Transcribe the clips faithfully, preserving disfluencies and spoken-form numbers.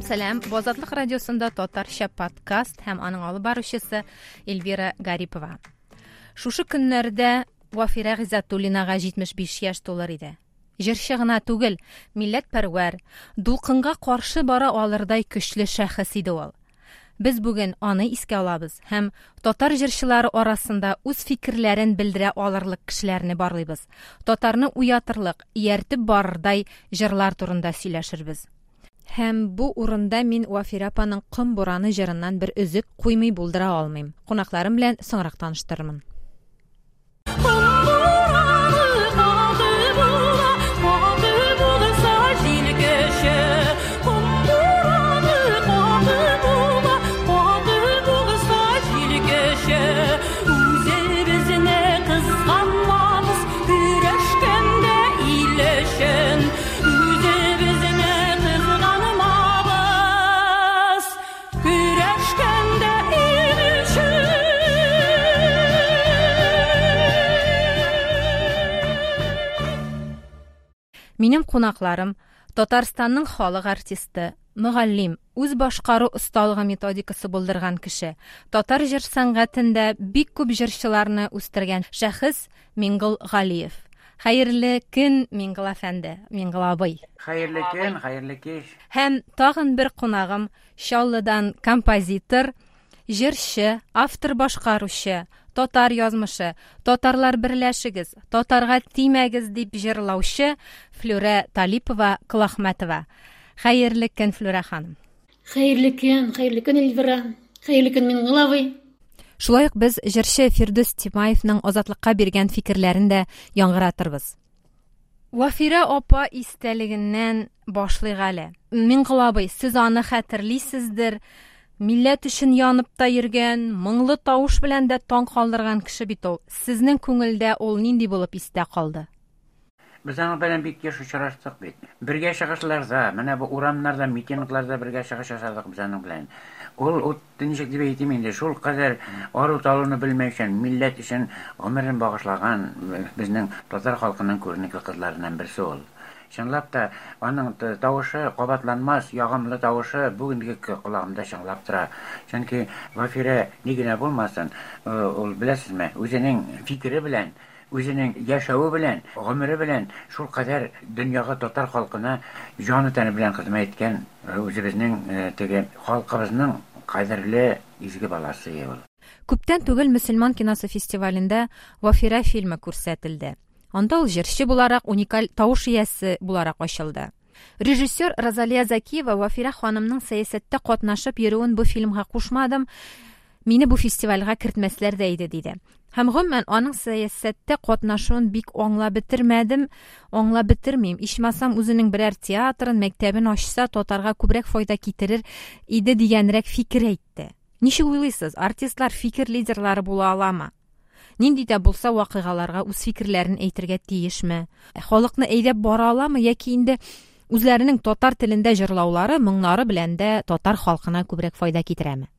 Сәлам, сәлам. Бу Азатлык радиосында татарча подкаст һәм аның алып баручысы Эльвира Гарипова. Шушы көннәрдә Вафирә Гыйззәтуллинага җитмеш биш яшь тулыр иде. Җырчы гына түгел, милләтпәрвәр, дулкынга каршы бара алырдай көчле шәхес иде ул. Без бүген аны искә алабыз һәм татар җырчылары арасында үз фикерләрен белдерә алырлык кешеләрне барлыйбыз. Татарны уятырлык, ияртеп барырдай җырлар турында сөйләшербез. Һәм бу урында мин Вафирә апаның Ком бураны җырыннан бер өзек куймый булдыра алмыйм. Кунакларым белән соңрак таныштырырмын. Минем кунакларым Татарстанның халык артисты, мөгаллим, үз башкару осталыгы методикасы булдырган кеше, татар җыр сәнгатендә бик күп җырчыларны үстергән шәхес Миңгол Галиев. Хәерле көн, Миңгол әфәнде, Миңгол абый. Хәерле көн, хәерле кич. Һәм тагын бер кунагым Чаллыдан композитор, җырчы, автор башкаручы, татар язмышы, татарлар берләшегез, татарга тимәгез дип җырлаучы Флүрә Талипова Колахмәтова. Хәерле көн, Флүрә ханым. Хәерле көн, хәерле көн, Эльвира. Хәерле көн, Миңгол абый. Шулай ук без җырчы Фирдүс Тимаевның Азатлыкка биргән фикерләрен дә яңгыратырбыз. Вафирә апа истәлегеннән башлыйк әле. Миңгол абый, сез аны хәтерлисездер. Милләт өчен янып та йөргән, моңлы тавыш белән дә таң калдырган кеше бит ул. Сезнең күңелдә ул нинди булып истә калды? Без аның белән бик еш очраштык бит. Бергә чыгышларда, менә бу урамнарда, митингларда бергә чыгыш ясадык без аның белән. Ул, ул ничек дип әйтим инде, шул кадәр ару-талуны белмәүчән, милләт өчен гомерен багышлаган безнең татар халкының күренекле кызларыннан берсе ул. Чынлап та аның тавышы кабатланмас, ягымлы тавышы бүгенге колагымда чыңлап тора. Чөнки Вафирә ни генә булмасын, ул беләсезме, үзенең фикере белән, үзенең яшәве белән, гомере белән шул кадәр дөньяга, татар халкына җаны тәне белән хезмәт иткән үзебезнең теге халкыбызның кадерле изге баласы ул. Күптән түгел мөселман киносы фестивалендә Вафирә фильмы күрсәтелде. Анда ул җырчы буларак, уникаль тавыш иясе буларак ачылды. Режиссер Розалия Закиева Вафирә ханымның сәясәттә катнашып йөрүен бу фильмга кушмадым, мине бу фестивальгә кертмәсләр дә иде, диде. Һәм гомумән аның сәясәттә катнашуын бик аңлап бетермәдем, аңлап бетермим. Ичмасам үзенең берәр театрын, мәктәбен ачса, татарга күбрәк файда китерер иде дигәнрәк фикер әйтте. Ничек уйлыйсыз, артистлар фикер лидерлары була аламы? Нинди дә булса вакыйгаларга үз фикерләрен әйтергә тиешме? Халыкны әйдәп бара аламы яки инде үзләренең татар телендә җырлаулары, моңнары белән дә татар халкына күбрәк файда китерәме?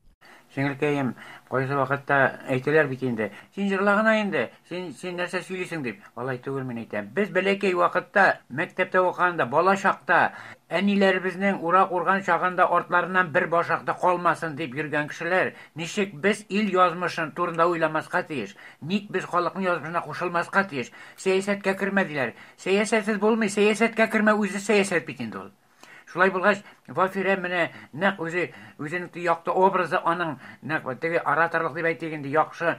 Сеңелкәем, кайсы вакытта әйтәләр бит инде, син җырла гына инде, син, син нәрсә сөйлисең дип. Алай түгел, мин әйтәм. Без бәләкәй вакытта, мәктәптә укыганда, бала чакта, әниләребезнең урак урган чагында артларыннан бер башак та калмасын дип йөргән кешеләр, ничек без ил язмышын турында уйламаска тиеш? Ник без халыкның язмышына кушылмаска тиеш? Сәясәткә кермә диләр. Сәясәтсез булмый, сәясәткә кермә үзе сәясәт бит инде ул. Шулай булгач, Вафирә менә нәкъ үзе, үзенең якты образы аның нәкъ теге ораторлык дип әйтик инде, яхшы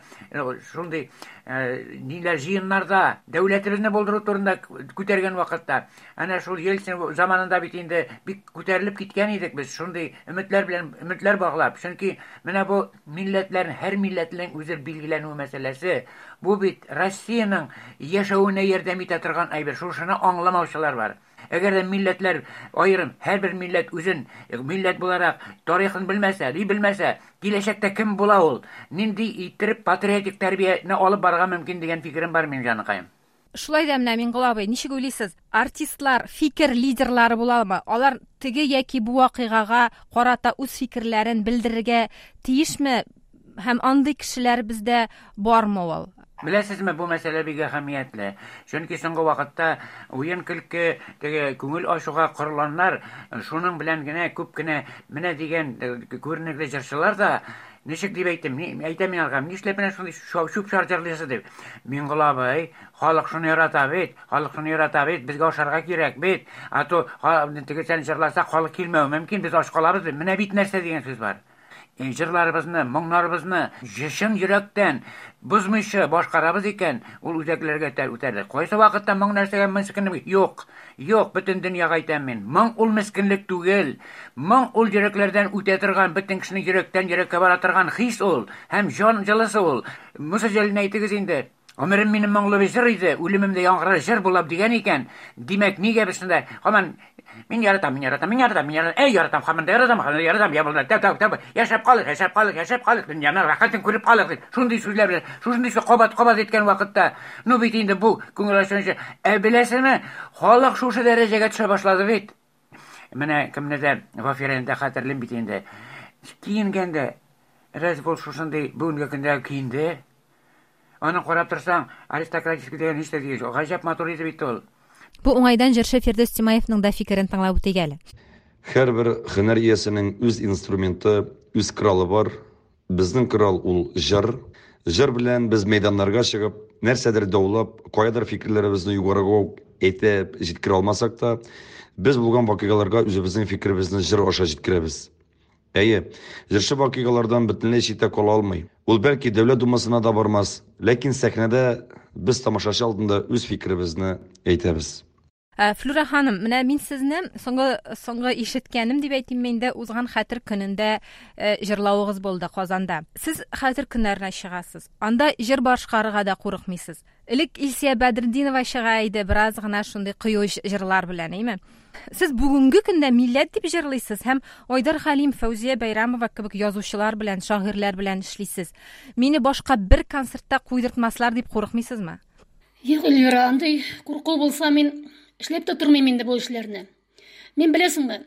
шундый ниләр җыеннарда дәүләтебезне булдыру турында күтәргән вакытта, әнә шул Ельцин заманында бит инде бик күтәрелеп киткән идек без, шундый өметләр белән өметләр баглап. Чөнки менә бу милләтләрнең, һәр милләтнең үзе билгеләнү мәсьәләсе, бу бит Россиянең яшәвенә ярдәм итә торган әйбер. Шушыны аңламаучылар бар. Әгәр дә милләтләр аерым, һәрбер милләт үзен милләт буларак тарихын белмәсә, ни белмәсә, киләчәктә кем була ул? Нинди иттереп патриотик тәрбияне алып барырга мөмкин дигән фикерем бар минем, җаныкаем. Шулай да менә, Миңгол абый, ничек уйлыйсыз, артистлар фикер лидерлары буламы? Алар теге яки бу вакыйгага карата үз фикерләрен белдерергә тиешме? Һәм андый кешеләр бездә бармы ул? Беләсезме, бу мәсьәлә бик әһәмиятле. Чөнки соңгы вакытта уен-көлке, теге күңел ачуга корылганнар, шуның белән генә күп кенә менә дигән күренекле җырчылар да, ничек дип әйтим, әйтәм мин аларга, нишләп менә шундый чүп-чар җырлыйсыз дип. Миңгол абый, халык шуны ярата бит, халык шуны ярата бит, безгә ашарга кирәк бит. А то теге сән җырласак, халык килмәве мөмкин, без ач калабыз бит. Менә бит нәрсә дигән сүз бар. Җырларыбызны, моңнарыбызны чын йөрәктән бозмыйча башкарабыз икән, ул үзәкләргә үтәр. Кайсы вакытта моң нәрсәгә мескенлек? Юк, юк, бөтен дөньяга әйтәм мин. Моң ул мескенлек түгел. Моң ул йөрәкләрдән үтә торган, бөтен кешенең йөрәктән йөрәккә бара торган хис ул һәм җан җылысы ул. Муса Җәлилне әйтегез инде. Гомерем минем моңлы бер җыр иде, үлемемдә яңгырар җыр булып дигән икән. Димәк, нигә без шунда һаман мин яратам, мин яратам, мин яратам, мин яратам, әй яратам, һаман да яратам, һаман да яратам, я булды, тәп, тәп, тәп, яшәп калыйк, яшәп калыйк, яшәп калыйк, дөньяның рәхәтен күреп калыйк дип, шундый сүзләр белән, шушындый сүз кабат-кабат әйткән вакытта, ну бит инде бу күңел ачынчы, ә беләсезме, халык шушы дәрәҗәгә төшә башлады бит. Менә кемне дә Вафирәне дә хәтерлим бит инде. Киенгәндә, рәз бул шушындый бүгенге көндә киенде. Аны карап торсаң, аристократический дигән һич тә түгел. Гаҗәп матур иде бит ул. Бу уңайдан җырчы Фирдүс Тимаевның да фикерен тыңлап үтик әле. Һәрбер һөнәр иясенең үз инструменты, үз коралы бар. Безнең корал ул җыр. Җыр белән без мәйданнарга чыгып, нәрсәдер даулап, каядыр фикерләребезне югарыга ук әйтеп җиткерә алмасак та, без булган вакыйгаларга үзебезнең фикеребезне җыр аша җиткерәбез. Әйе, җырчы вакыйгалардан бөтенләй читтә кала алмый. Ул бәлки Дәүләт Думасына да бармас, ләкин сәхнәдә без тамашачы алдында үз фикеребезне әйтәбез. Флюра ханым, менә мин сезне соңгы, соңгы ишеткәнем дип әйтим инде, узган хәтер көнендә җырлавыгыз булды Казанда. Сез хәтер көннәренә чыгасыз. Анда җыр башкарырга да курыкмыйсыз. Элек Илсия Бәдретдинова чыга иде, бераз гына шундый кыю җырлар белән, әйме? Сез бүгенге көндә милләт дип җырлыйсыз һәм Айдар Хәлим, Фәүзия Бәйрәмова кебек язучылар белән, шагыйрьләр белән эшлисез. Мине башка бер концертта куйдыртмаслар дип курыкмыйсызмы? Юк, Эльвира, андый курку булса мин эшләп тә тормыйм инде бу эшләрне. Мин беләсеңме,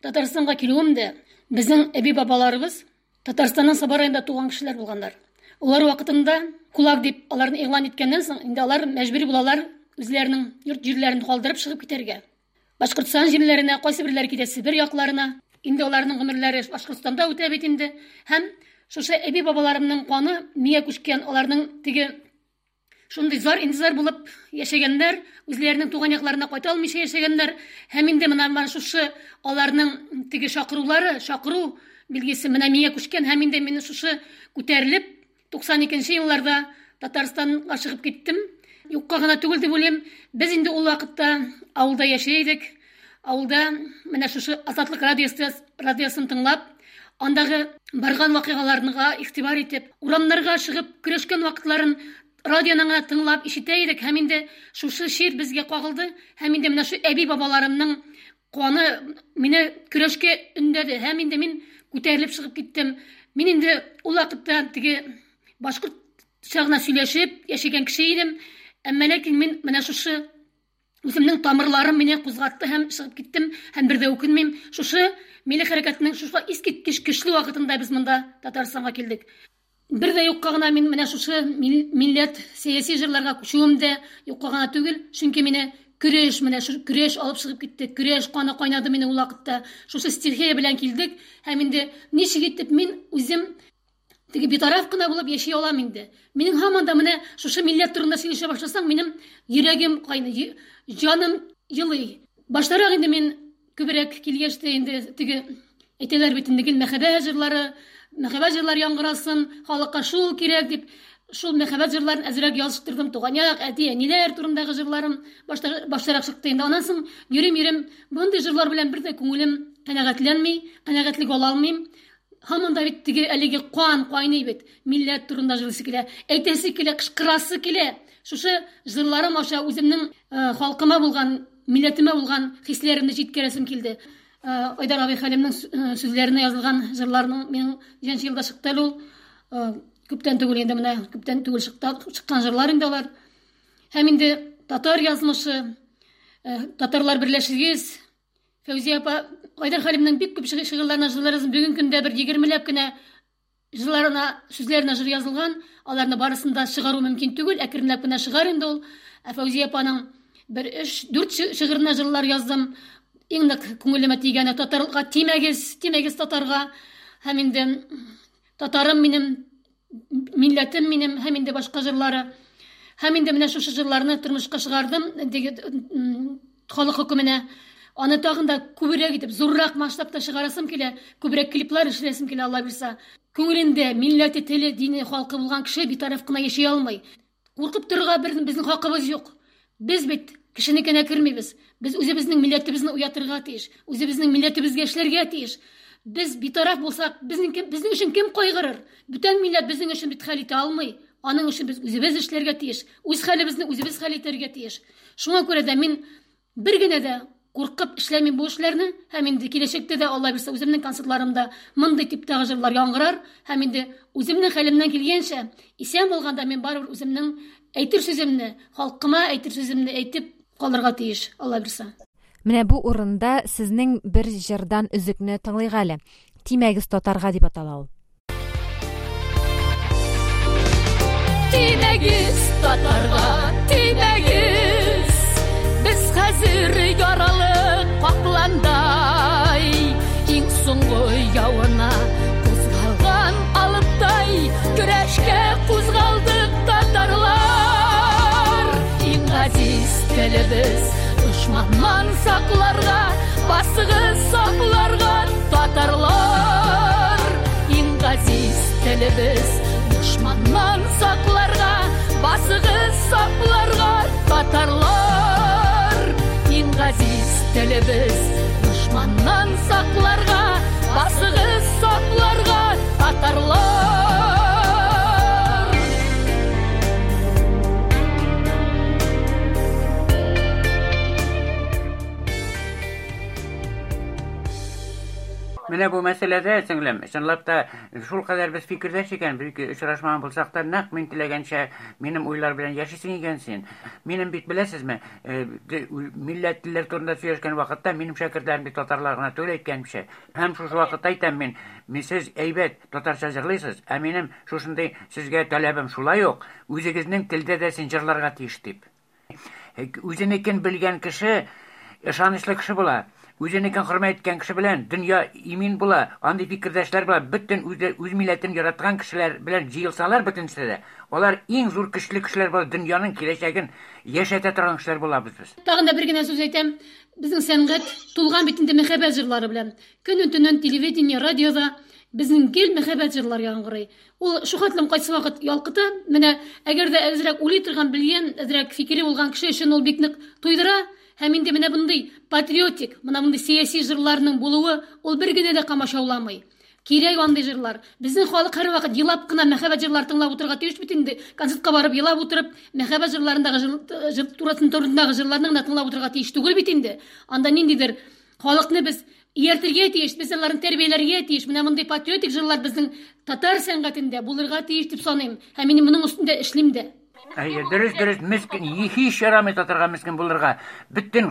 Татарстанга килүем дә безнең әби-бабаларыбыз Татарстанның Саба районында туган кешеләр булганнар. Алар вакытында кулак дип аларны игълан иткәннән соң, инде алар мәҗбүри булалар үзләренең йорт җирләрен калдырып чыгып китәргә. Башкортстан җирләренә, кайсы берләре китә Себер якларына. Инде аларның гомерләре Башкортстанда үтә бит инде. Һәм шушы әби-бабаларымның каны миңа күчкән, аларның теге шундый зар интизар булып яшәгәннәр, үзләренең туган якларына кайта алмыйча яшәгәннәр. Һәм инде менә менә шушы аларның теге чакырулары, чакыру билгесе менә миңа күчкән. Һәм инде мин шушы күтәрелеп туксан икенче елларда Татарстанга чыгып киттем. Юкка гына түгел дип уйлыйм. Без инде ул вакытта авылда яши идек. Авылда менә шушы Азатлык радиосы, радиосын тыңлап, андагы барган вакыйгаларга игътибар итеп, урамнарга чыгып көрәшкән вакытларын радионы гына тыңлап ишетә идек. Һәм инде шушы шир безгә кагылды. Һәм инде менә шу әби-бабаларымның каны мине көрәшкә өндәде. Һәм инде мин күтәрелеп чыгып киттем. Мин инде ул вакытта теге башкортча гына сөйләшеп яшәгән кеше идем. Әмма ләкин мин менә шушы үземнең тамырларым мине кузгатты һәм чыгып киттем, һәм бер дә үкенмим. Шушы милли хәрәкәтнең шушы искиткеч көчле вакытында без монда Татарстанга килдек. Бер дә юкка гына мин менә шушы милләт сәяси җырларга күчүем дә юкка гына түгел, чөнки мине көрәш, менә шу көрәш алып чыгып китте. Көрәш каны кайнады мине ул вакытта. Шушы стихия белән килдек һәм инде ничек итеп мин үзем теге битараф кына булып яши алам инде. Минем һаман да менә шушы милләт турында сөйләшә башласаң, минем йөрәгем кайный, җаным елый. Баштарак инде мин күбрәк килгәч тә инде теге әйтәләр бит инде, гел мәхәббәт җырлары, мәхәббәт җырлары яңгырасын, халыкка шул кирәк дип, шул мәхәббәт җырларын әзрәк языштырдым. Туган як, әти, әниләр турындагы җырларым баштарак чыкты инде. Аннан соң йөрим-йөрим, мондый җырлар белән бер дә күңелем канәгатьләнми, канәгатьлек ала алмыйм. Һаман да бит теге әлеге кан кайный бит, милләт турында җырлыйсы килә, әйтәсе килә, кычкырасы килә. Шушы җырларым аша үземнең халкыма булган, милләтемә булган хисләремне җиткерәсем килде. Айдар абый Хәлимнең сүзләренә язылган җырларның минем ничәнче елда чыкты әле ул. Күптән түгел инде, менә күптән түгел чыккан җырлар инде алар. Һәм инде татар язмышы, татарлар берләшегез. Фәүзия апа Айдар Хәлимнең бик күп шигырьләренә җырлар язган. Бүгенге көндә бер егермеләп кенә җырларына, сүзләренә җыр язылган, аларны барысын да чыгару мөмкин түгел, әкренләп кенә чыгар инде ул. Ә Фәүзия апаның бер өч, дүрт шигыренә җырлар яздым. Иң нык күңелемә тигәне татарга тимәгез, тимәгез татарга. Һәм инде татарым минем, милләтем минем, һәм инде башка җырлары. Һәм инде менә шушы җырларны тормышка чыгардым, халык хөкеменә. Аны тагын да күбрәк итеп, зуррак масштабта чыгарасым килә, күбрәк клиплар эшләсем килә, Алла бирсә. Күңелендә милләте, теле, дине, халкы булган кеше битараф кына яши алмый. Куркып торырга безнең хакыбыз юк. Без бит кешенекенә кермибез. Без үзебезнең милләтебезне уятырга тиеш, үзебезнең милләтебезгә эшләргә тиеш. Без битараф булсак, безнең безнең өчен кем кайгырыр? Бүтән милләт безнең өчен бит хәл итә алмый. Аның өчен без үзебез эшләргә тиеш, үз хәлебезне үзебез хәл итәргә тиеш. Шуңа күрә дә мин бер генә дә куркып эшләмим бу эшләрне, һәм инде киләчәктә дә Алла бирсә үземнең концертларымда мондый типтагы җырлар яңгырар, һәм инде үземнең хәлемнән килгәнчә, исән булганда мин барыбер үземнең әйтер сүземне, халкыма әйтер сүземне әйтеп калырга тиеш, Алла бирсә. Менә бу урында сезнең бер җырдан өзекне тыңлыйк әле. Тимәгез татарга дип атала ул. Тимәгез татарга, тимәгез, без хәзер яралы капландай, иң соңгы явына кузгалган алыптай, көрәшкә кузгалдык татарлар. Иң газиз телебез дошманнан сакларга, басыгыз сакларга татарлар. Иң газиз телебез дошманнан сакларга, басыгыз сакларга татарлар. Иң газиз телебез дошманнан сакларга, басыгыз сакларга татарлар. Менә бу мәсьәләдә, сеңлем, чынлап та шул кадәр без фикердәш икән, бер ике очрашмаган булсак та, нәкъ мин теләгәнчә минем уйлар белән яшисең икән син. Минем бит беләсезме, милләт телләр турында сөйләшкән вакытта минем шәкертләрем бит татарлар гына түгел әйткәнчә. Һәм шушы вакытта әйтәм мин, мин сез әйбәт татарча җырлыйсыз, ә минем шушындый сезгә таләбем шулай ук, үзегезнең телдә дә син җырларга тиеш дип. Үзенекен белгән кеше ышанычлы кеше була. Үзенекен хөрмәт иткән кеше белән дөнья имин була, андый фикердәшләр була, бөтен үз, үз милләтен яраткан кешеләр белән җыелсалар бөтенесе дә, алар иң зур көчле кешеләр була, дөньяның киләчәген яшәтә торган кешеләр булабыз без. Тагын да бер генә сүз әйтәм, безнең сәнгать тулган бит инде мәхәббәт җырлары белән. Көнен-төнен телевидение, радиода безнең гел мәхәббәт җырлары яңгырый. Ул шу хәтлем кайсы вакыт ялкыта, менә әгәр дә әзрәк уйлый торган, белгән, әзрәк фикере булган кеше өчен ул бик нык туйдыра. Һәм инде менә мондый патриотик, менә мондый сәяси җырларның булуы ул бер генә дә камачауламый. Кирәк андый җырлар. Безнең халык һәрвакыт елап кына мәхәббәт җырлар тыңлап утырырга тиеш бит инде. Концертка барып елап утырып, мәхәббәт җырларындагы җыр турындагы җырларны гына тыңлап утырырга тиеш түгел бит инде. Анда ниндидер халыкны без ияртергә тиеш, без аларны тәрбияләргә тиеш. Менә мондый патриотик җырлар безнең татар сәнгатендә булырга тиеш дип саныйм. Һәм мин моның өстендә эшлим дә. Әйе, дөрес, дөрес, мескен, һич ярамый татарга мескен булырга. Бөтен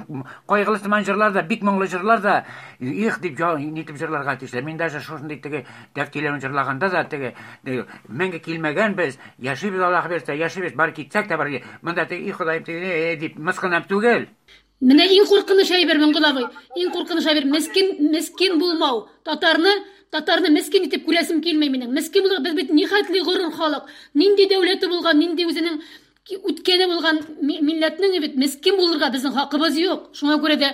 кайгылы сыман җырлар да, бик моңлы җырлар да, их дип нитеп җырларга тиешләр. Мин даже шушындый теге тәфтиләрен җырлаганда да теге мәңге килмәгән без, яшибез Аллаһ бирсә, яшибез, бар китсәк тә бар. Монда теге, и Ходаем, теге дип мыскынлап түгел. Менә иң куркыныч әйбер, Миңгол абый, иң куркыныч әйбер мескен, мескен булмау. Татарны, татарны мескен итеп күрәсем килми минем. Мескен булып без бит нихәтле горур халык. Нинди дәүләте булган, нинди үзенең үткәне булган милләтнең бит мескен булырга безнең хакыбыз юк. Шуңа күрә дә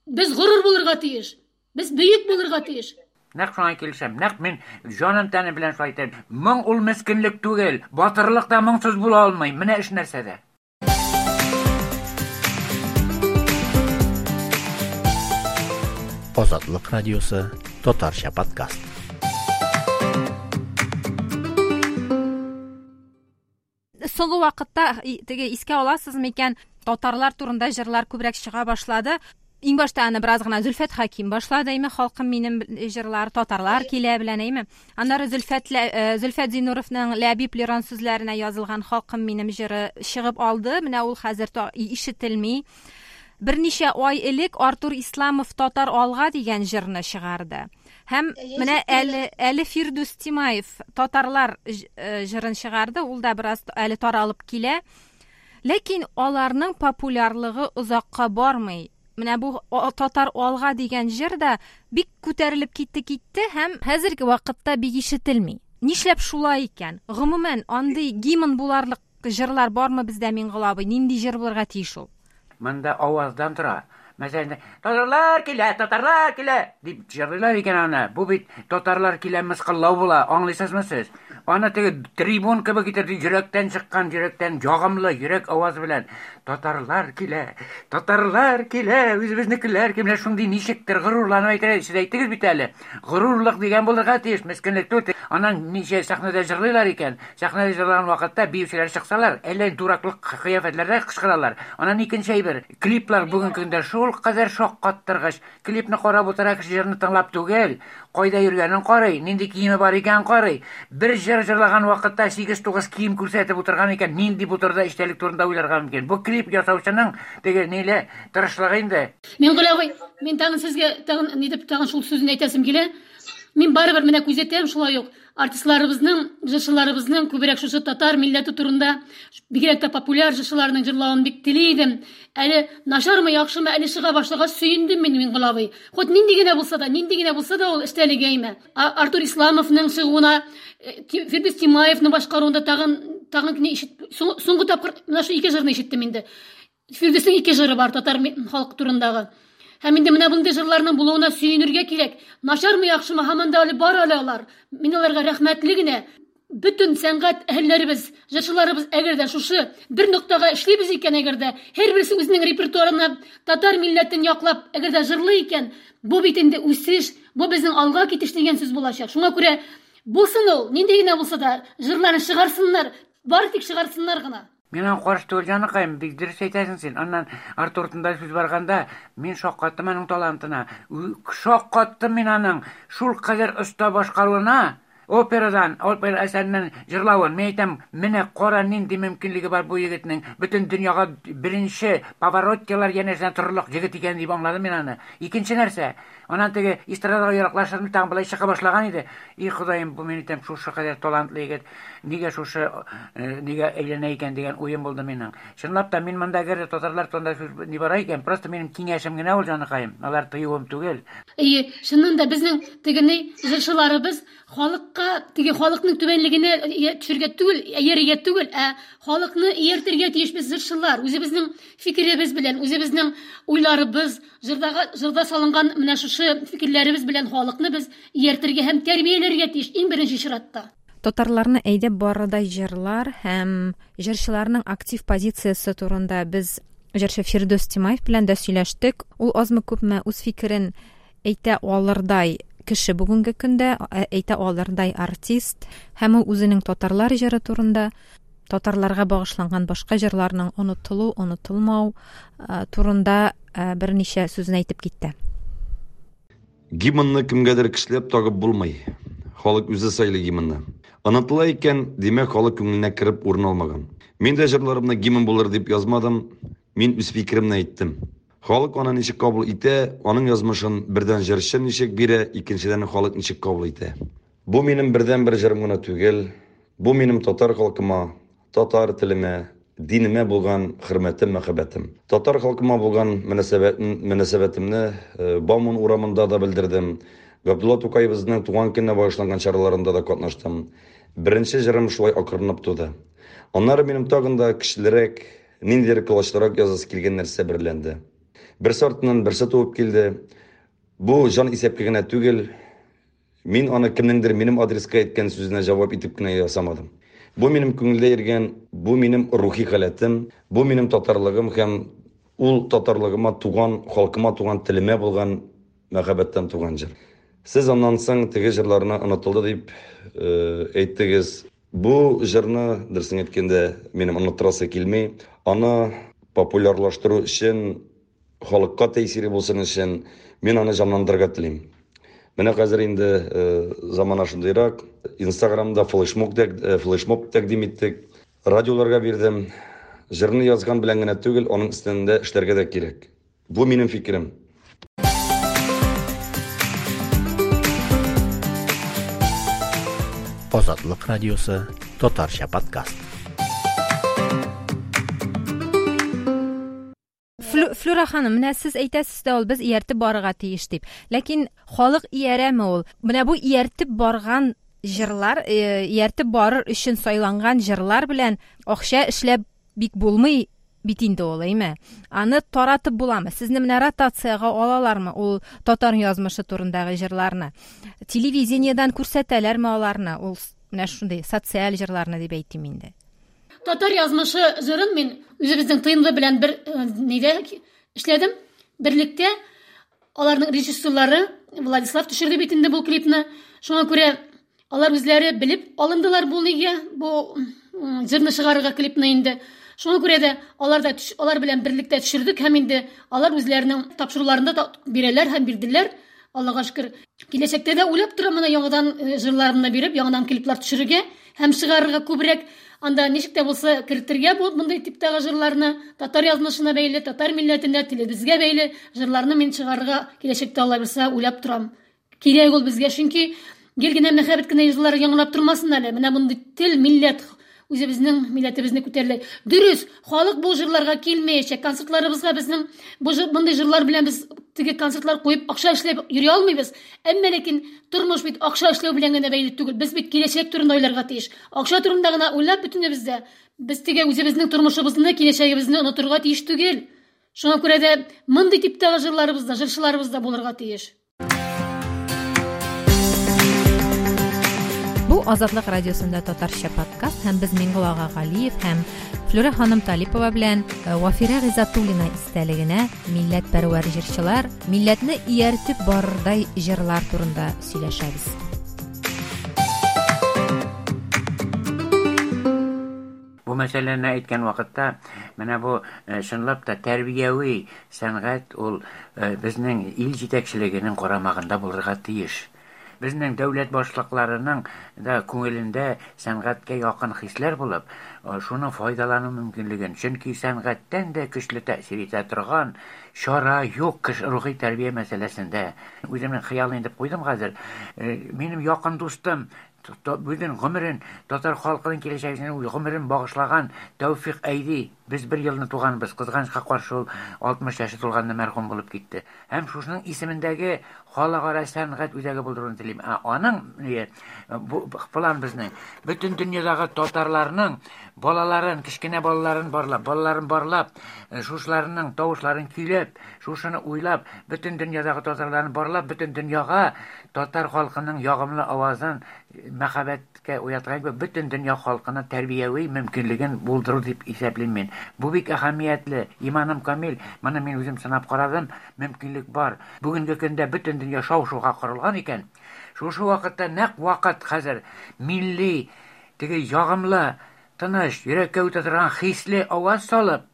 без горур булырга тиеш. Без бөек булырга тиеш. Нәкъ шуңа килешәм. Нәкъ мин җаным тәнем белән шулай әйтәм. Моң ул мескенлек түгел. Батырлык та моңсыз була алмый. Менә эш нәрсәдә. Азатлык радиосы татарча подкаст. Соңгы вакытта теге искә аласыз микән, татарлар турында җырлар күбрәк чыга башлады. Иң башта аны бераз гына Зөлфәт Хәким башлады, әйме, халкым минем җырлар, татарлар килә белән, әйме. Аннары Зөлфәт Зөлфәт Зиннуровның Ләбиб Лерон сүзләренә язылган Халкым минем җыры чыгып алды. Менә ул хәзер ишетелми. Берничә ай элек Артур Исламов Татар алга дигән җырны чыгарды. Һәм менә әле әле Фирдүс Тимаев Татарлар җырын чыгарды, ул да бераз әле таралып килә. Ләкин аларның популярлыгы озакка бармый. Менә бу Татар алга дигән җыр да бик күтәрелеп китте китте һәм хәзерге вакытта бик ишетелми. Нишләп шулай икән? Гомумән, андый гимн буларлык җырлар бармы бездә, Миңгол абый? Нинди җыр булырга тиеш ул? Монда аваздан тора. Мәсәлән, татарлар килә, татарлар килә дип җырлыйлар икән аны. Бу бит татарлар килә мыскыллау була, аңлыйсызмы сез? Аны теге трибун кебек итеп йөрәктән чыккан, йөрәктән ягымлы йөрәк авазы белән татарлар килә, татарлар килә, үзебезнекеләр килә, шундый ничектер горурланып әйтә. Сез әйттегез бит әле. Горурлык дигән булырга тиеш, мескенлек түгел. Аннан ничә сәхнәдә җырлыйлар икән. Сәхнәдә җырлаган вакытта биючеләр чыксалар, әллә дураклык кыяфәтләрдә кычкыралар. Аннан икенче әйбер, клиплар бүгенге көндә шул кадәр шаккаттыргыч. Клипны карап утыра кеше җырны тыңлап түгел, кайда йөргәнен карый, нинди киеме бар икән карый. Бер җыр җырлаган вакытта сигез-тугыз кием күрсәтеп утырган икән, нинди бу турыда эчтәлек турында уйларга мөмкин. Бу клип ясаучының теге ниле тырышлыгы инде. Миңгол абый, мин тагын сезгә тагын ни дип тагын шул сүзне әйтәсем килә. Мин барыбер менә күзәтәм шулай ук артистларыбызның, җырчыларыбызның күбрәк шушы татар милләте турында, бигрәк тә популяр җырчыларның җырлавын бик тели идем. Әле начармы, яхшымы, әле чыга башлагач сөендем мин, Миңгол абый. Хоть нинди генә булса да, нинди генә булса да ул эчтәлеге әйме. Артур Исламовның чыгуына, Фирдүс Тимаевның башкаруында тагын тагын ишет, соңгы тапкыр менә шу ике җырны ишеттем инде. Фирдүснең ике җыры бар татар халкы турындагы. Һәм инде менә мондый җырларның булуына сөенергә кирәк. Начармы, яхшымы, һаман да әле бар әле алар. Мин аларга рәхмәтле генә. Бөтен сәнгать әһелләребез, җырчыларыбыз әгәр дә шушы бер ноктага эшлибез икән, әгәр дә һәрберсе үзенең репертуарына татар милләтен яклап, әгәр дә җырлый икән, бу бит инде үсеш, бу безнең алга китеш дигән сүз булачак. Шуңа күрә булсын ул, нинди генә булса да, җырларын чыгарсыннар, бары тик чыгарсыннар гына. Мин аңа каршы түгел, җаныкаем, бик дөрес әйтәсең син. Аннан Артур турында сүз барганда, мин шаккаттым аның талантына. Шаккаттым мин аның шул кадәр оста башкаруына, операдан, опера әсәреннән җырлавын. Мин әйтәм, менә кара нинди мөмкинлеге бар бу егетнең. Бөтен дөньяга беренче Павароттилар янәшәсенә торырлык егет икән дип аңладым мин аны. Икенче нәрсә, аннан теге эстрадага яраклашып тагын былай чыга башлаган иде. И Ходаем, бу мин әйтәм, шушы кадәр талантлы егет, нигә шушы, нигә әйләнә икән дигән уем булды минем. Чынлап та мин монда әгәр татарлар турында сүз ни бара икән, просто минем киңәшем генә ул, җаныкаем. Алар тыюым түгел. Әйе, чыннан да безнең тегене җырчыларыбыз халыкка, теге халыкның түбәнлегенә төшергә түгел, иярергә түгел, ә халыкны ияртергә тиешбез җырчылар. Үзебезнең фикеребез белән, үзебезнең уйларыбыз, җырдага, җырда салынган менә шушы фикерләребез белән халыкны без ияртергә һәм тәрбияләргә тиеш иң беренче чиратта. Татарларны әйдәп барырдай җырлар һәм җырчыларның актив позициясе турында без җырчы Фирдүс Тимаев белән дә сөйләштек. Ул азмы-күпме үз фикерен әйтә алырдай кеше бүгенге көндә, әйтә алырдай артист, һәм ул үзенең татарлар җыры турында, татарларга багышланган башка җырларның онытылу, онытылмау турында берничә сүзен әйтеп китте. Гимнны кемгәдер көчләп тагып булмый. Халык үзе сайлый гимнны. Онытыла икән, димәк, халык күңеленә кереп урын алмаган. Мин дә җырларымны гимн булыр дип язмадым, мин үз фикеремне әйттем. Халык аны ничек кабул итә, аның язмышын бердән җырчы ничек бирә, икенчедән халык ничек кабул итә. Бу минем бердән-бер җырым гына түгел, бу минем татар халкыма, татар телемә, динемә булган хөрмәтем, мәхәббәтем. Татар халкыма булган мөнәсәбәтемне Бауман урамында да белдердем. Габдулла Тукаебызның туган көненә багышланган чараларында да катнаштым. Беренче җырым шулай акрынлап туды. Аннары минем тагын да көчлерәк, ниндидер колачлырак язасы килгән нәрсә берләнде. Берсе артыннан берсе туып килде. Бу җан исәпкә генә түгел. Мин аны кемнеңдер минем адреска әйткән сүзенә җавап итеп кенә ясамадым. Бу минем күңелдә йөргән, бу минем рухи халәтем, бу минем татарлыгым һәм ул татарлыгыма туган, халкыма туган, телемә булган мәхәббәттән туган җыр. Сез аннан соң теге җырларны онытылды дип әйттегез. Бу җырны, дөресен әйткәндә, минем оныттырасы килми. Аны популярлаштыру өчен, халыкка тәэсире булсын өчен мин аны җанландырырга телим. Менә хәзер инде замана шундыйрак. Инстаграмда флешмоб флешмоб тәкъдим иттек. Радиоларга бирдем. Җырны язган белән генә түгел, аның өстендә эшләргә дә кирәк. Бу минем фикерем. Азатлык радиосы татарча подкаст. Флюра ханым, менә сез әйтәсез дә ул без ияртеп барырга тиеш дип. Ләкин халык иярәме ул? Менә бу ияртеп барган җырлар, ияртеп барыр өчен сайланган җырлар белән акча эшләп бик булмый бит инде ул, әйме? Аны таратып буламы? Сезне менә ротациягә алалармы ул татар язмышы турындагы җырларны? Телевидениедән күрсәтәләрме аларны? Ул менә шундый социаль җырларны дип әйтим инде. Татар язмышы җырын мин үзебезнең Т Н В белән бер нидә эшләдем. Берлектә аларның режиссерлары Владислав төшерде бит инде бу клипны. Шуңа күрә алар үзләре белеп алындылар бу нигә, бу җырны чыгарырга клипны инде. Шуңа күрә дә алар да алар белән берлектә төшердек һәм инде алар үзләренең тапшыруларында да бирәләр һәм бирделәр. Аллага шөкер. Киләчәктә дә уйлап торам менә яңадан җырларымны биреп, яңадан клиплар төшерергә һәм чыгарырга күбрәк. Анда ничек тә булса кертергә бу мондый типтагы җырларны, татар язмышына бәйле, татар милләтенә, телебезгә бәйле җырларны мин чыгарырга киләчәктә Алла бирсә уйлап торам. Кирәк ул безгә, чөнки гел генә мәхәббәт кенә җырлар яңгырап тормасын әле. Менә мондый тел, милләт үзебезнең милләтебезне күтәрелә. Дөрес, халык бу җырларга килмәячәк. Концертларыбызга безнең бу мондый җырлар белән без теге концертлар куеп акча эшләп йөри алмыйбыз. Әмма ләкин тормыш бит акча эшләү белән генә бәйле түгел. Без бит киләчәк турында уйларга тиеш. Акча турында гына уйлап бөтенебез дә без теге үзебезнең тормышыбызны, киләчәгебезне онытырга тиеш түгел. Шуңа күрә дә мондый типтагы җырларыбыз да, җырчыларыбыз да булырга тиеш. Бу Азатлык радиосында татарча подкаст һәм без Миңгол ага Галиев һәм Флюра ханым Талипова белән Вафирә Гыйззәтуллина истәлегенә милләтпәрвәр җырчылар, милләтне ияртеп барырдай җырлар турында сөйләшәбез. Бу мәсьәләне әйткән вакытта менә бу чынлап та тәрбияви сәнгать ул безнең ил җитәкчелегенең карамагында булырга тиеш. Безнең дәүләт башлыкларының да күңелендә сәнгатькә якын хисләр булып, шуны файдалану мөмкинлеген, чөнки сәнгатьтән дә көчле тәэсир итә торган чара юк кеше рухи тәрбия мәсьәләсендә. Үземнең хыялын инде куйдым хәзер. Минем якын дустым, бөтен гомерен татар халкының киләчәгенә гомерен багышлаган Тәүфик Әйди, без бер елны туганбыз, кызганычка каршы ул алтмыш яше тулганда мәрхүм булып китте. Һәм шушының исемендәге халыкара сәнгать үзәге булдыруны телим. Ә аның бу план безнең бөтен дөньядагы татарларның балаларын, кечкенә балаларын барлап, балаларын барлап, шушыларның тавышларын көйләп, шушыны уйлап, бөтен дөньядагы татарларны барлап, бөтен дөньяга татар халкының ягымлы авазын мәхәббәткә уяткан бөтен дөнья халкына тәрбияви мөмкинлеген булдыру дип исәплим мин. Бу бик әһәмиятле, иманым камил, моны мин үзем сынап карадым, мөмкинлек бар. Бүгенге көндә бөтен дөнья шау-шуга корылган икән. Шушы вакытта нәкъ вакыт хәзер милли, теге ягымлы, тыныч, йөрәккә үтә торган хисле аваз салып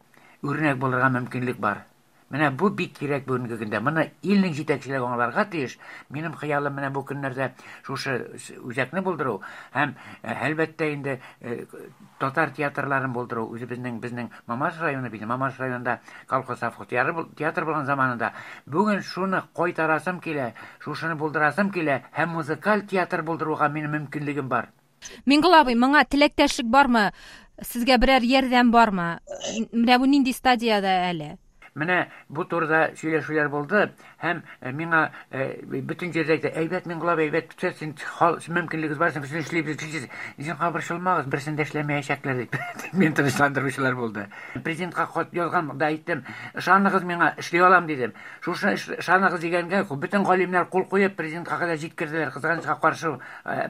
үрнәк булырга мөмкинлек бар. Менә бу бик кирәк бүгенге көндә. Моны илнең җитәкчелеге аңларга тиеш. Минем хыялым менә бу көннәрдә шушы үзәкне булдыру һәм әлбәттә инде татар театрларын булдыру. Үзебезнең безнең Мамадыш районы бит, Мамадыш районында колхоз совхоз театр булган заманында бүген шуны кайтарасым килә, шушыны булдырасым килә һәм музыкаль театр булдыруга минем мөмкинлегем бар. Миңгол абый, моңа теләктәшлек бармы? Сезгә берәр ярдәм бармы? Менә бу нинди стадиядә әле? Менә бу турыда сөйләшүләр булды һәм миңа бөтен җирдә әйтте, әйбәт Миңгол абый, әйбәт, син мөмкинлегегез бар, син эшлибез, син борчылмагыз, берсен дә эшләмәячәкләр дип. Мин тынычландыручылар булды. Президентка хат язган да әйттем, ышаныгыз миңа, эшли алам дидем. Шушы ышаныгыз дигәнгә бөтен галимнәр кул куеп президентка кадәр җиткерделәр. Кызганычка каршы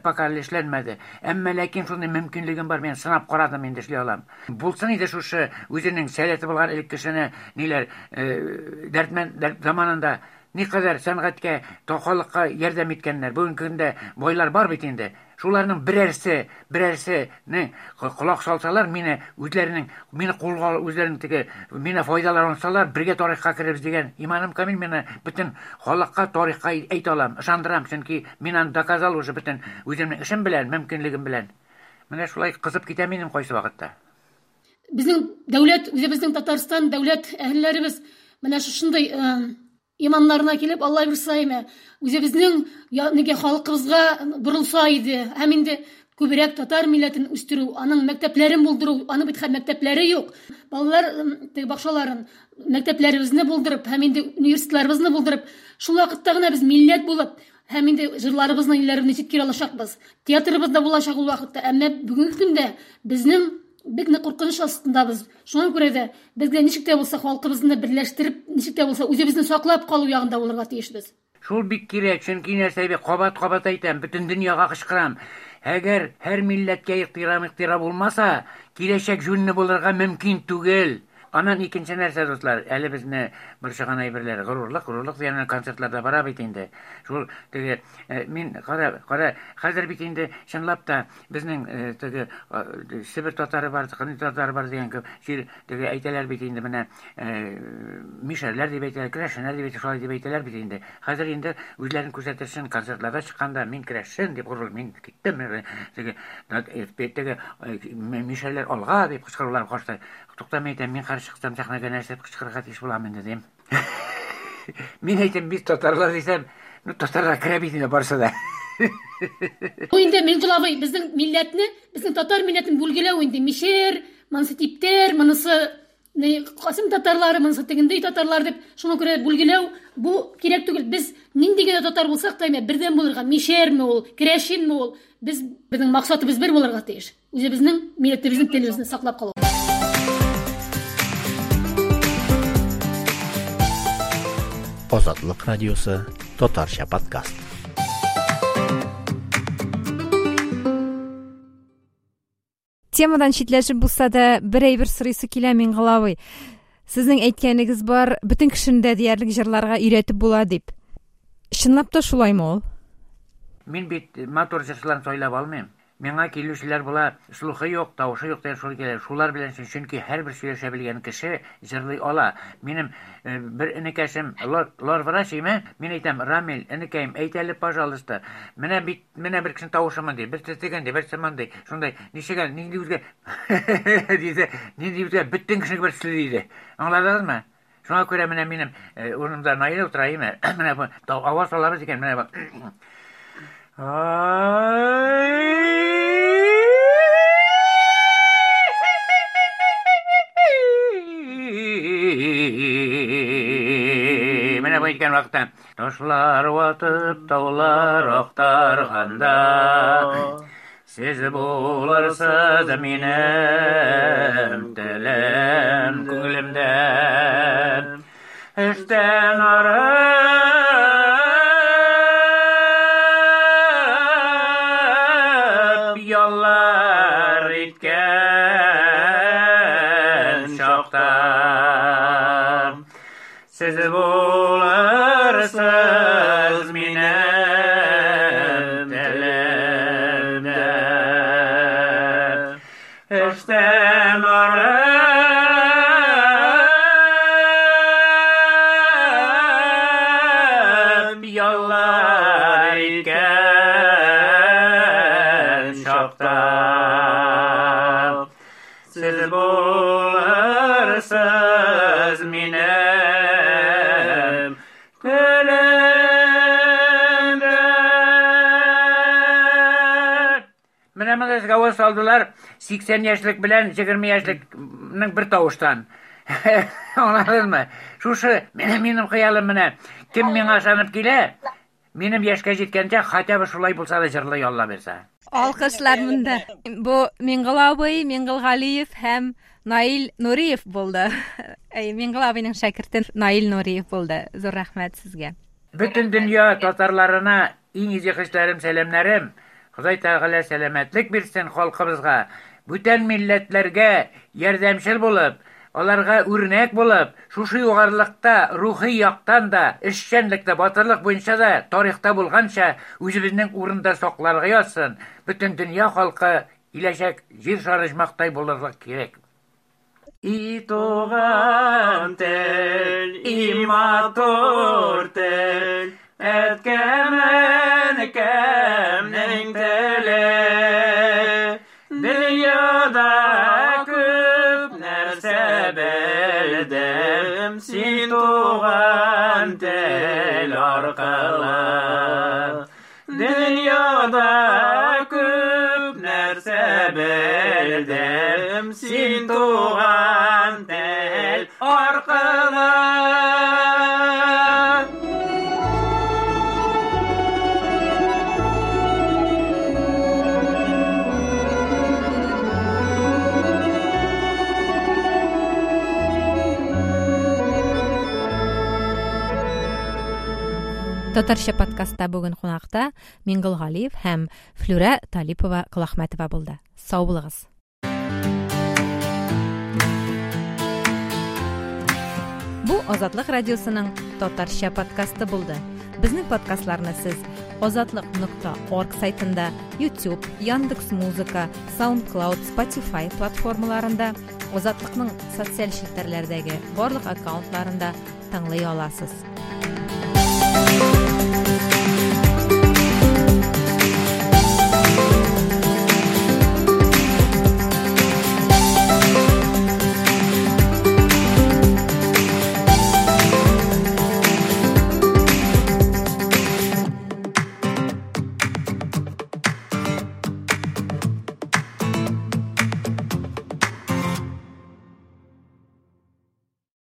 пока әле эшләнмәде. Әмма ләкин шундый мөмкинлегем бар, мин сынап карадым, инде эшли алам. Булсын иде шушы үзенең сәләте булган элек кешене ниләр Дәрдмәнд заманында никадәр сәнгатькә, халыкка ярдәм иткәннәр. Бүгенге көндә байлар бар бит инде. Шуларның берәрсе, берәрсене колак салсалар, мине үзләренең, мине кулга үзләренең теге, мине файдалансалар, бергә тарихка керербез дигән иманым камил, мине бөтен халыкка тарихка әйтә алам, ышандырам, чөнки мин аны доказал уже бөтен үземнең эшем белән, мөмкинлегем белән. Менә шулай кызып китәм минем кайсы вакытта. Безнең дәүләт, үзебезнең Татарстан дәүләт әһелләребез Менә шушындый иманнарына килеп, Алла бирса име, үзебезнең нигә халкыбызга борылса иде. Һәм инде күбрәк татар милләтен үстерү, аның мәктәпләрен булдыру, аның бит хәзер мәктәпләре юк. Балалар теге бакчаларын, мәктәпләребезне булдырып, һәм инде университетларыбызны булдырып, шул вакытта гына без милләт булып, һәм инде җырларыбызны, илләребезне җиткерә алачакбыз. Театрыбыз да булачак ул вакытта. Әмма бүгенге көндә безнең бик нык куркыныч астындабыз. Шуңа күрә дә безгә ничек тә булса халкыбызны берләштереп, ничек тә булса үзебезне саклап калу ягында булырга тиешбез. Шул бик кирәк, чөнки нәрсә бик кабат-кабат әйтәм, бөтен дөньяга кычкырам. Әгәр һәр милләткә ихтирам ихтирам булмаса, киләчәк җүнле булырга мөмкин түгел. Аннан икенче нәрсә, дуслар, әле безне борчыган әйберләр, горурлык, горурлык дигән концертларда бара бит инде. Шул теге мин кара, кара, хәзер бит инде чынлап та безнең теге Себер татары бар, Кырым татары бар дигән күп җир теге әйтәләр бит инде, менә мишәрләр дип әйтәләр, керәшеннәр дип әйтәләр, шулай дип әйтәләр бит инде. Хәзер инде үзләрен күрсәтер өчен концертларда чыкканда мин керәшен дип горур, мин киттем, теге теге мишәрләр алга дип кычкырулар каршы. Тукта, мин әйтәм, мин каршы чыксам сәхнәгә нәрсә дип кычкырырга тиеш булам инде дим. Мин әйтәм, без татарлар дисәм, ну татарлар керә бит инде барысы да. Бу инде Миңгол абый безнең милләтне, безнең татар милләтен бүлгеләү инде. Мишәр, монысы типтер, монысы Касым татарлары, монысы тегендәй татарлар дип, шуңа күрә бүлгеләү бу кирәк түгел. Без нинди генә татар булсак та, бердәм булырга, мишәрме ул, керәшенме ул, без безнең максатыбыз бер булырга тиеш. Үзебезнең милләтебезнең телебезне саклап калу. Азатлык радиосы татарча подкаст. Темадан читләшеп булса да, бер әйбер сорыйсы килә, Миңгол абый. Сезнең әйткәнегез бар, бөтен кешене дә диярлек җырларга өйрәтеп була дип. Чынлап та шулаймы ул? Мин бит матур җырчыларны сайлап алмыйм. Миңа килүчеләр була, слухы юк, тавышы юк дигән шул килә. Шулар белән чөнки һәрбер сөйләшә белгән кеше җырлый ала. Минем бер энекәшем лор, лор врач име? Мин әйтәм, Рамил, энекәем, әйт әле, пожалуйста. Менә бит, менә бер кешенең тавышы мондый, берсе тегендәй, берсе мондый. Шундай, ничек әле, нинди үзгә диде, нинди үзгә, бөтен кешенең бер төсле диде. Аңладыгызмы? Шуңа күрә менә минем урынымда Наил утыра име? Менә бу аваз алабыз икән, менә бу. Менә бу әйткән вакытта ташлар ватып, таулар актарганда сез булырсыз минем телем күңелемдә. Эштән арып яллар иткән чакта сез булырсыз минем телемдә. Эштән арып яллар иткән чакта сез булырсыз минем телемдә. Менә монда сезгә аваз салдылар сиксән яшьлек белән егерме яшьлекнең бер тавыштан. Аңладыңмы? Шушы минем хыялым менә. Кем миңа ышанып килә, минем яшькә җиткәнчә хотя бы шулай булса да җырлый Алла бирсә. Алкышлар монда. Бу Миңгол абый, Миңгол Галиев һәм Наил Нуриев булды. Әй, Миңгол абыйның шәкерте Наил Нуриев булды. Зур рәхмәт сезгә. Бөтен дөнья татарларына иң изге хисләрем, сәламнәрем. Ходай Тәгалә сәламәтлек бирсен халкыбызга. Бүтән милләтләргә ярдәмчел булып, аларга үрнәк булып, шушы югарылыкта, рухи яктан да, эшчәнлектә, батырлык буенча да, тарихта булганча үзебезнең урында сакларга язсын. Бөтен дөнья халкы киләчәк җир шары оҗмахтай булырлык кирәк. И туган тел, и матур тел, әткәм, әнкәмнең теле. Дөньяда күп нәрсә белдем, белдем син туган тел аркылы. Дөньяда күп нәрсә белдем син туган тел аркылы. Татарча подкастта бүген кунакта Миңгол Галиев һәм Флүрә Талипова Колахмәтова булды. Сау булыгыз. Бу Азатлык радиосының татарча подкасты булды. Безнең подкастларны сез азатлык нокта орг сайтында, YouTube, Яндекс.Музыка, SoundCloud, Spotify платформаларында, Азатлыкның социаль челтәрләрдәге барлык аккаунтларында тыңлый аласыз.